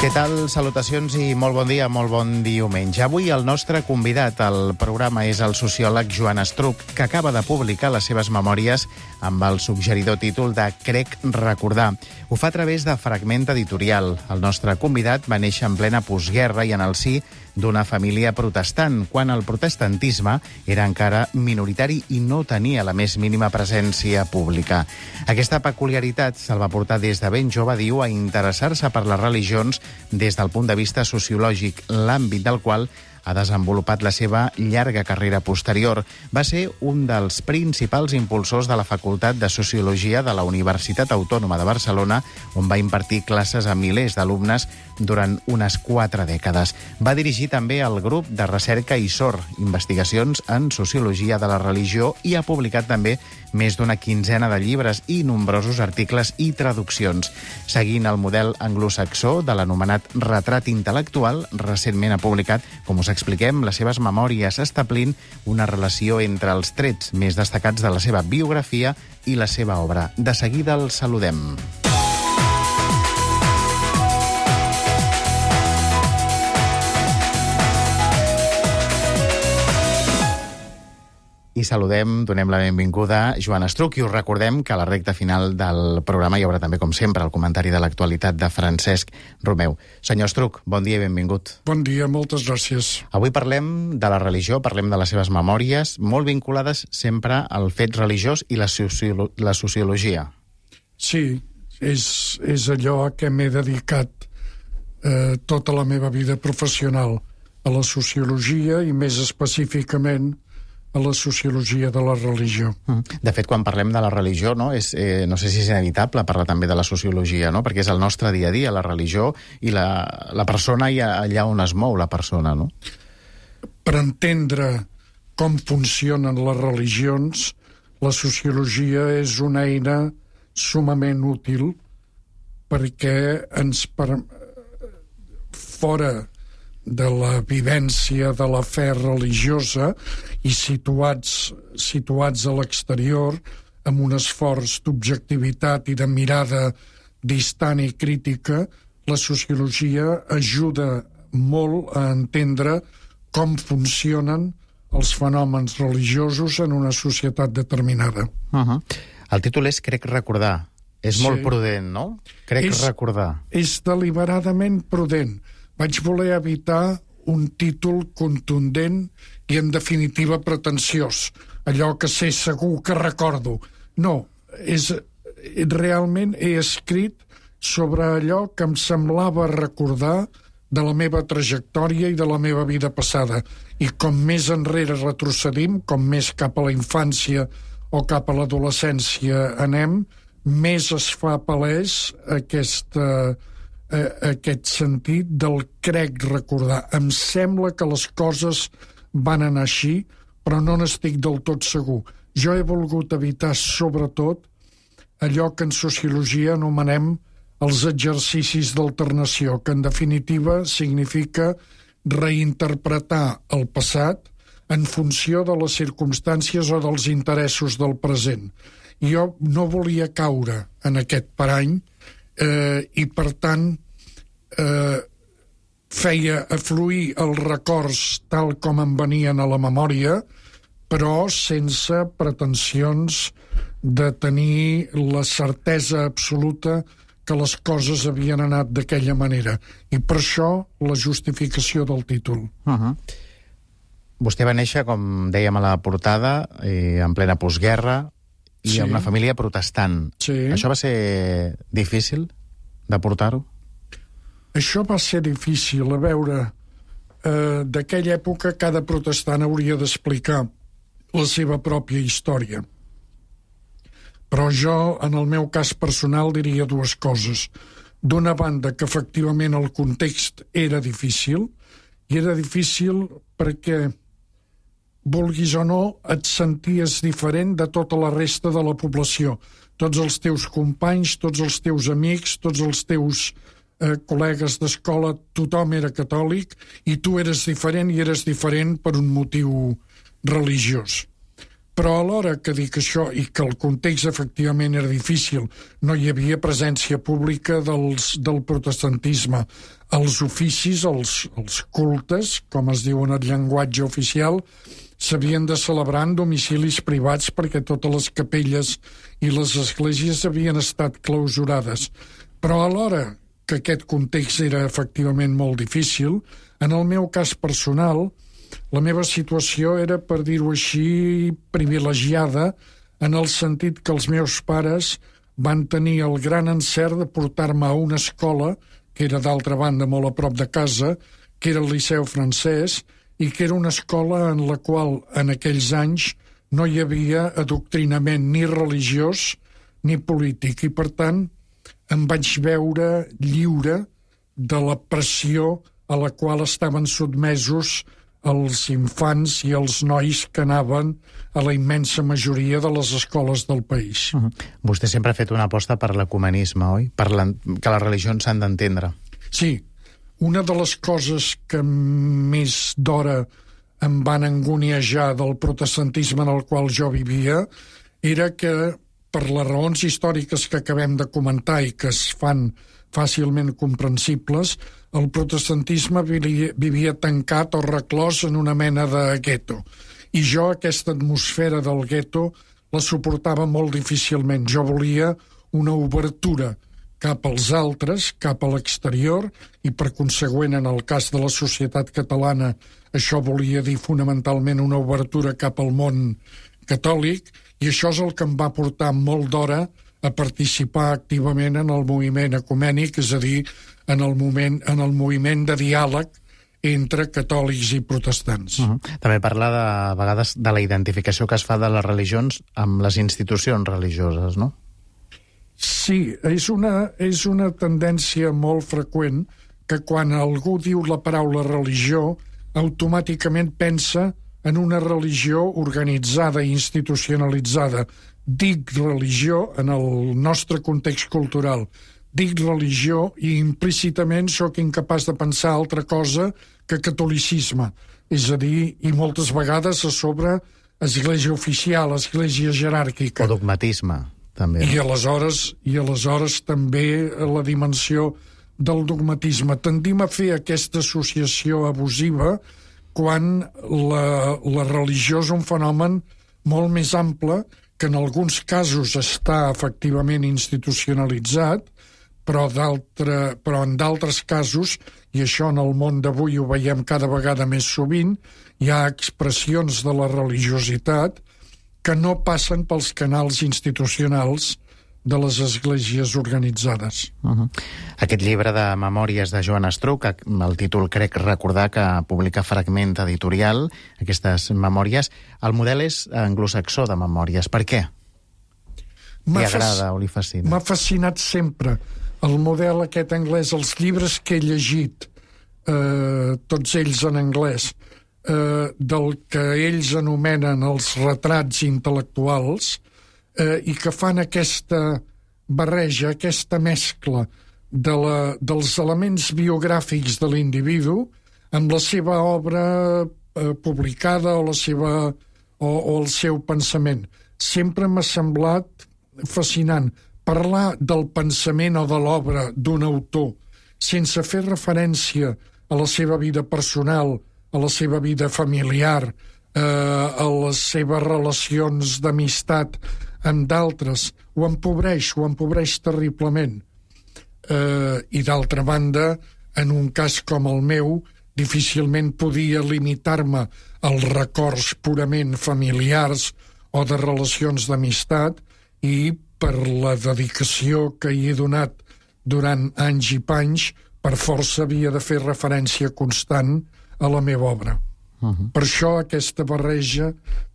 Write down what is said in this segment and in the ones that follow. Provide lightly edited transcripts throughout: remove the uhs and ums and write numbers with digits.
Què tal? Salutacions i molt bon dia, molt bon diumenge. Avui el nostre convidat al programa és el sociòleg Joan Estruch, que acaba de publicar les seves memòries amb el suggeridor títol de Crec recordar. Ho fa a través de Fragment Editorial. El nostre convidat va néixer en plena postguerra i en el si d'una família protestant, quan el protestantisme era encara minoritari i no tenia la més mínima presència pública. Aquesta peculiaritat se'l va portar des de ben jove, diu, a interessar-se per les religions des del punt de vista sociològic, l'àmbit del qual ha desenvolupat la seva llarga carrera posterior. Va ser un dels principals impulsors de la Facultat de Sociologia de la Universitat Autònoma de Barcelona, on va impartir classes a milers d'alumnes durant unes 4 dècades. Va dirigir també el grup de recerca ISOR, Investigacions en Sociologia de la Religió, i ha publicat també més d'una quinzena de llibres i nombrosos articles i traduccions. Seguint el model anglosaxó de l'anomenat retrat intel·lectual, recentment ha publicat, com us expliquem, les seves memòries, establint una relació entre els trets més destacats de la seva biografia i la seva obra. De seguida el saludem. I saludem, donem la benvinguda a Joan Estruch, i us recordem que a la recta final del programa hi haurà també, com sempre, el comentari de l'actualitat de Francesc Romeu. Senyor Estruch, bon dia i benvingut. Bon dia, moltes gràcies. Avui parlem de la religió, parlem de les seves memòries, molt vinculades sempre al fet religiós i la sociologia. Sí, és allò a què m'he dedicat tota la meva vida professional, a la sociologia i més específicament a la sociologia de la religió. De fet, quan parlem de la religió, no sé si és inevitable parlar també de la sociologia, no? Perquè és el nostre dia a dia, la religió, i la persona i allà on es mou la persona, no? Per entendre com funcionen les religions, la sociologia és una eina sumament útil perquè fora de la vivència de la fe religiosa i situats a l'exterior amb un esforç d'objectivitat i de mirada distant i crítica, la sociologia ajuda molt a entendre com funcionen els fenòmens religiosos en una societat determinada. El títol és Crec recordar. És molt prudent, no? Crec recordar. És deliberadament prudent. Vaig voler evitar un títol contundent i, en definitiva, pretensiós. Allò que sé segur que recordo. No, realment he escrit sobre allò que em semblava recordar de la meva trajectòria i de la meva vida passada. I com més enrere retrocedim, com més cap a la infància o cap a l'adolescència anem, més es fa palès aquest sentit del crec recordar. Em sembla que les coses van anar així, però no n'estic del tot segur. Jo he volgut evitar, sobretot, allò que en sociologia anomenem els exercicis d'alternació, que en definitiva significa reinterpretar el passat en funció de les circumstàncies o dels interessos del present. Jo no volia caure en aquest parany i, per tant, feia afluir els records tal com em venien a la memòria, però sense pretensions de tenir la certesa absoluta que les coses havien anat d'aquella manera. I per això la justificació del títol. Vostè va néixer, com dèiem a la portada, en plena postguerra, i en una família protestant. Sí. Això va ser difícil de portar-ho? Això va ser difícil. A veure, d'aquella època cada protestant hauria d'explicar la seva pròpia història. Però jo, en el meu cas personal, diria dues coses. D'una banda, que efectivament el context era difícil, i era difícil perquè, vulguis o no, et senties diferent de tota la resta de la població. Tots els teus companys, tots els teus amics, tots els teus col·legues d'escola, tothom era catòlic i tu eres diferent, i eres diferent per un motiu religiós. Però alhora que dic això i que el context efectivament era difícil, no hi havia presència pública del protestantisme. Els oficis, els cultes, com es diu en el llenguatge oficial, s'havien de celebrar en domicilis privats perquè totes les capelles i les esglésies havien estat clausurades. Però alhora que aquest context era efectivament molt difícil, en el meu cas personal, la meva situació era, per dir-ho així, privilegiada, en el sentit que els meus pares van tenir el gran encert de portar-me a una escola, que era d'altra banda molt a prop de casa, que era el Liceu Francès, i que era una escola en la qual en aquells anys no hi havia adoctrinament ni religiós ni polític, i per tant em vaig veure lliure de la pressió a la qual estaven sotmesos els infants i els nois que anaven a la immensa majoria de les escoles del país. Vostè sempre ha fet una aposta per l'ecumenisme, oi? Que les religions s'han d'entendre. Sí. Una de les coses que més d'hora em van anguniejar del protestantisme en el qual jo vivia era que, per les raons històriques que acabem de comentar i que es fan fàcilment comprensibles, el protestantisme vivia tancat o reclòs en una mena de gueto. I jo aquesta atmosfera del gueto la suportava molt difícilment. Jo volia una obertura cap als altres, cap a l'exterior, i per consegüent, en el cas de la societat catalana, això volia dir fonamentalment una obertura cap al món catòlic, i això és el que em va portar molt d'hora a participar activament en el moviment ecumènic, és a dir, en el moviment de diàleg entre catòlics i protestants. També parla de vegades de la identificació que es fa de les religions amb les institucions religioses, no? Sí, és una tendència molt freqüent que quan algú diu la paraula religió, automàticament pensa en una religió organitzada i institucionalitzada. Dic religió en el nostre context cultural. Dic religió i implícitament sóc incapaç de pensar altra cosa que catolicisme. És a dir, i moltes vegades a sobre església oficial, església jeràrquica. O dogmatisme, també. I aleshores també la dimensió del dogmatisme. Tendim a fer aquesta associació abusiva quan la religió és un fenomen molt més ample que en alguns casos està efectivament institucionalitzat, però en d'altres casos, i això en el món d'avui ho veiem cada vegada més sovint, hi ha expressions de la religiositat que no passen pels canals institucionals de les esglésies organitzades. Aquest llibre de memòries de Joan Estruch, el títol crec recordar que publica Fragment Editorial, aquestes memòries, el model és anglosaxó de memòries. Per què? Li agrada o li fascina? M'ha fascinat sempre el model aquest anglès, els llibres que he llegit, tots ells en anglès, del que ells anomenen els retrats intel·lectuals, i que fan aquesta barreja, aquesta mescla dels elements biogràfics de l'individu amb la seva obra publicada o el seu pensament. Sempre m'ha semblat fascinant parlar del pensament o de l'obra d'un autor sense fer referència a la seva vida personal, a la seva vida familiar, a les seves relacions d'amistat amb d'altres, ho empobreix terriblement. I d'altra banda, en un cas com el meu, difícilment podia limitar-me als records purament familiars o de relacions d'amistat, i per la dedicació que hi he donat durant anys i panys, per força havia de fer referència constant a la meva obra. Per això aquesta barreja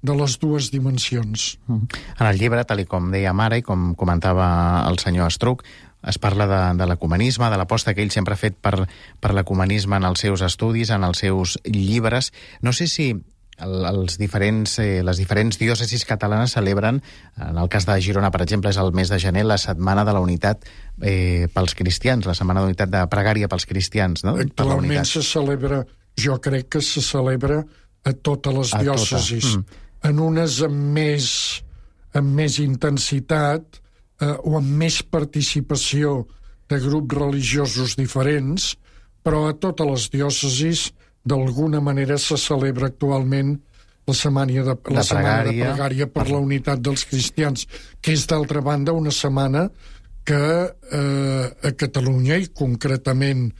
de les dues dimensions. En el llibre, tal com dèiem ara i com comentava el senyor Estruch, es parla de l'ecumenisme, de l'aposta que ell sempre ha fet per l'ecumenisme en els seus estudis, en els seus llibres. No sé si les diferents diòcesis catalanes celebren, en el cas de Girona, per exemple, és el mes de gener, la Setmana de la Unitat pels cristians, la Setmana d'Unitat de Pregària pels cristians, no? Actualment se celebra, jo crec que se celebra a totes les diòcesis. en unes amb més intensitat o amb més participació de grups religiosos diferents, però a totes les diòcesis d'alguna manera se celebra actualment la setmana de pregària per la unitat dels cristians, que és d'altra banda una setmana que a Catalunya i concretament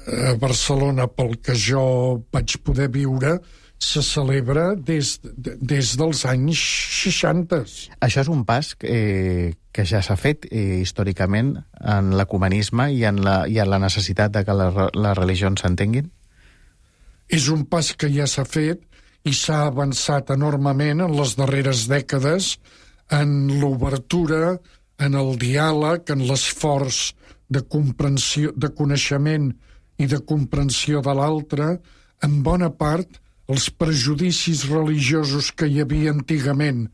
a Barcelona, pel que jo vaig poder viure, se celebra des dels anys 60. Això és un pas que ja s'ha fet històricament en l'ecumenisme i en la necessitat de que les religions s'entenguin? És un pas que ja s'ha fet i s'ha avançat enormement en les darreres dècades en l'obertura, en el diàleg, en l'esforç de comprensió, de coneixement i de comprensió de l'altre, en bona part els prejudicis religiosos que hi havia antigament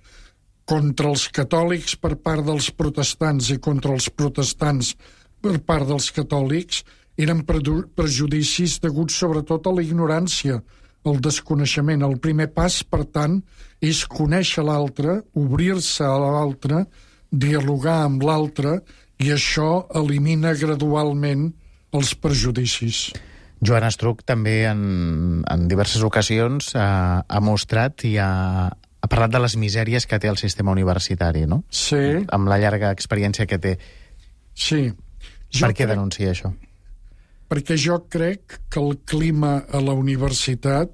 contra els catòlics per part dels protestants i contra els protestants per part dels catòlics eren prejudicis deguts sobretot a la ignorància, al desconeixement. El primer pas, per tant, és conèixer l'altre, obrir-se a l'altre, dialogar amb l'altre, i això elimina gradualment els prejudicis. Joan Estruch també en diverses ocasions ha mostrat i ha parlat de les misèries que té el sistema universitari, no? Sí. Amb la llarga experiència que té. Sí. Per què denuncia això? Perquè jo crec que el clima a la universitat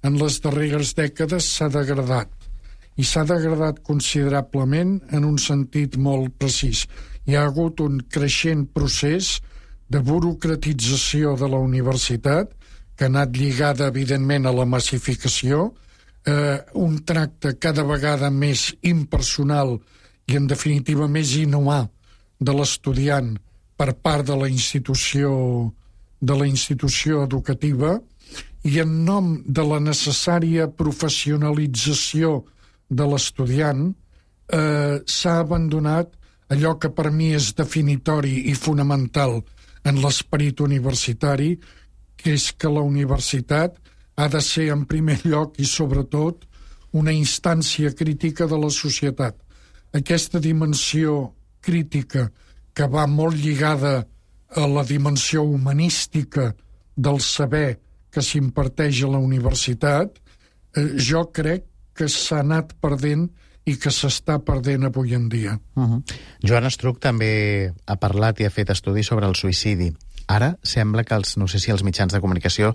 en les darreres dècades s'ha degradat. I s'ha degradat considerablement en un sentit molt precís. Hi ha hagut un creixent procés de burocratització de la universitat, que ha anat lligada, evidentment, a la massificació, un tracte cada vegada més impersonal i, en definitiva, més inhumà de l'estudiant per part de la institució educativa, i en nom de la necessària professionalització de l'estudiant s'ha abandonat allò que per mi és definitori i fonamental en l'esperit universitari, que és que la universitat ha de ser en primer lloc i sobretot una instància crítica de la societat. Aquesta dimensió crítica que va molt lligada a la dimensió humanística del saber que s'imparteix a la universitat, jo crec que s'ha anat perdent i que s'està perdent avui en dia. Joan Estruch també ha parlat i ha fet estudis sobre el suïcidi. Ara sembla que no sé si els mitjans de comunicació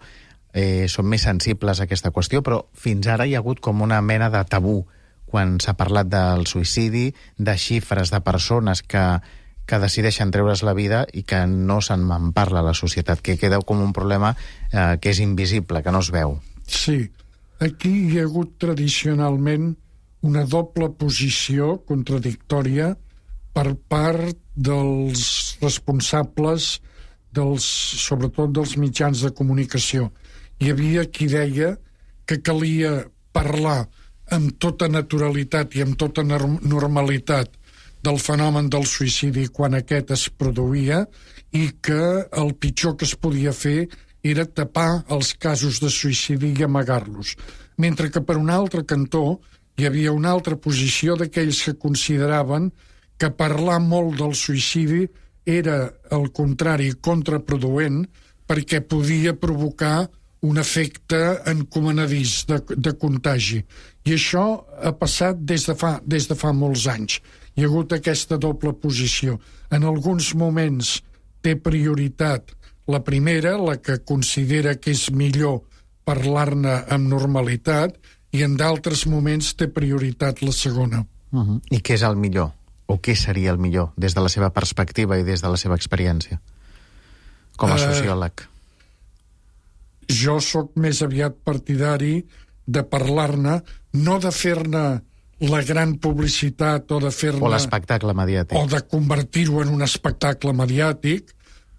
són més sensibles a aquesta qüestió, però fins ara hi ha hagut com una mena de tabú quan s'ha parlat del suïcidi, de xifres de persones que decideixen treure's la vida i que no se'n parla a la societat, que queda com un problema que és invisible, que no es veu. Sí, aquí hi ha hagut tradicionalment una doble posició contradictòria per part dels responsables, sobretot dels mitjans de comunicació. Hi havia qui deia que calia parlar amb tota naturalitat i amb tota normalitat del fenomen del suïcidi quan aquest es produïa i que el pitjor que es podia fer era tapar els casos de suïcidi i amagar-los. Mentre que per un altre cantó hi havia una altra posició d'aquells que consideraven que parlar molt del suïcidi era, al contrari, contraproduent perquè podia provocar un efecte encomanadís de contagi. I això ha passat des de fa molts anys. Hi ha hagut aquesta doble posició. En alguns moments té prioritat la primera, la que considera que és millor parlar-ne amb normalitat, i en d'altres moments té prioritat la segona. I què és el millor? O què seria el millor des de la seva perspectiva i des de la seva experiència com a sociòleg? Jo sóc més aviat partidari de parlar-ne, no de fer-ne la gran publicitat o de fer-ne... O l'espectacle mediàtic. O de convertir-ho en un espectacle mediàtic,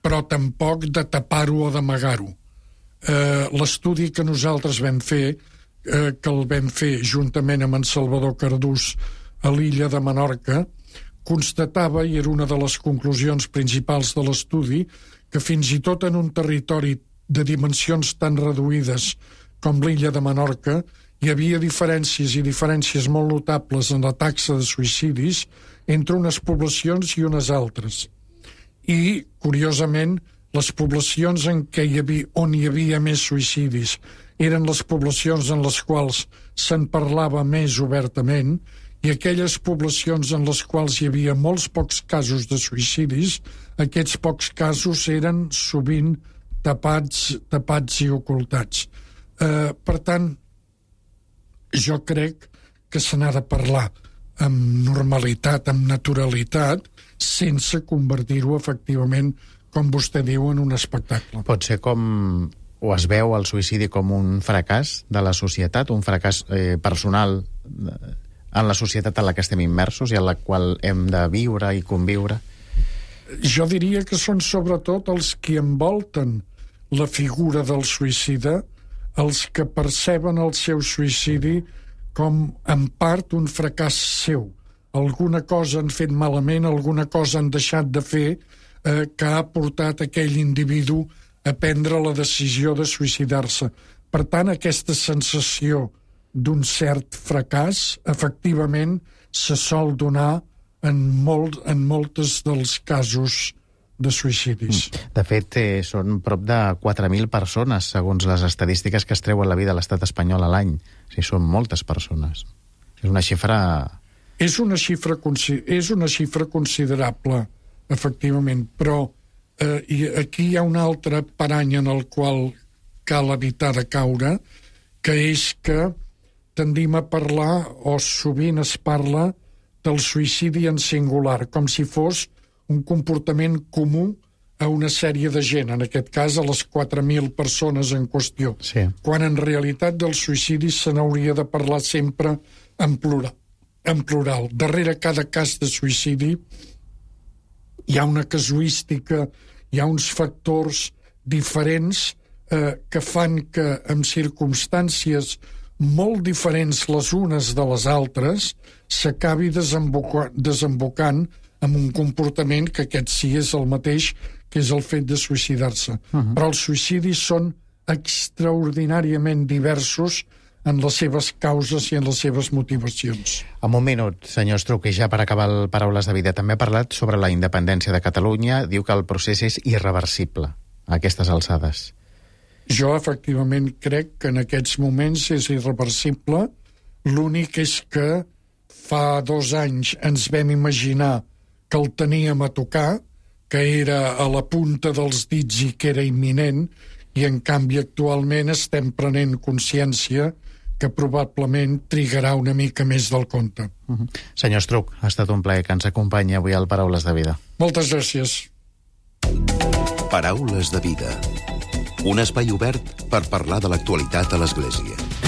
però tampoc de tapar-ho o d'amagar-ho. L'estudi que nosaltres vam fer, que el vam fer juntament amb en Salvador Cardús a l'illa de Menorca, constatava, i era una de les conclusions principals de l'estudi, que fins i tot en un territori de dimensions tan reduïdes com l'illa de Menorca hi havia diferències molt notables en la taxa de suïcidis entre unes poblacions i unes altres. I, curiosament, les poblacions on hi havia més suïcidis eren les poblacions en les quals se'n parlava més obertament, i aquelles poblacions en les quals hi havia molts pocs casos de suïcidis, aquests pocs casos eren sovint tapats i ocultats. Per tant, jo crec que se n'ha de parlar amb normalitat, amb naturalitat, sense convertir-ho efectivament, com vostè diu, en un espectacle. Pot ser com, o es veu el suïcidi com un fracàs de la societat, un fracàs personal en la societat en la que estem immersos i en la qual hem de viure i conviure? Jo diria que són sobretot els que envolten la figura del suïcida, els que perceben el seu suïcidi com, en part, un fracàs seu. Alguna cosa han fet malament, alguna cosa han deixat de fer que ha portat aquell individu a prendre la decisió de suïcidar-se. Per tant, aquesta sensació d'un cert fracàs, efectivament, se sol donar en moltes dels casos de suïcidis. De fet, són prop de 4.000 persones, segons les estadístiques que es treuen la vida a l'estat espanyol a l'any. O sigui, són moltes persones. És una xifra... És una xifra considerable, efectivament, però aquí hi ha un altre parany en el qual cal evitar de caure, que és que tendim a parlar, o sovint es parla, del suïcidi en singular, com si fos un comportament comú a una sèrie de gent, en aquest cas a les 4.000 persones en qüestió, sí. Quan en realitat del suïcidi se n'hauria de parlar sempre en plural. Darrere cada cas de suïcidi hi ha una casuística, hi ha uns factors diferents que fan que en circumstàncies molt diferents les unes de les altres s'acabi desembocant amb un comportament que aquest sí és el mateix, que és el fet de suïcidar-se. Però els suïcidis són extraordinàriament diversos en les seves causes i en les seves motivacions. En un minut, senyor Estruch, i ja per acabar el Paraules de Vida, també ha parlat sobre la independència de Catalunya, diu que el procés és irreversible a aquestes alçades. Jo, efectivament, crec que en aquests moments és irreversible. L'únic és que fa 2 anys ens vam imaginar que el teníem a tocar, que era a la punta dels dits i que era imminent, i en canvi actualment estem prenent consciència que probablement trigarà una mica més del compte. Senyor Estruch, ha estat un plaer que ens acompanyi avui al Paraules de Vida. Moltes gràcies. Paraules de Vida. Un espai obert per parlar de l'actualitat a l'Església.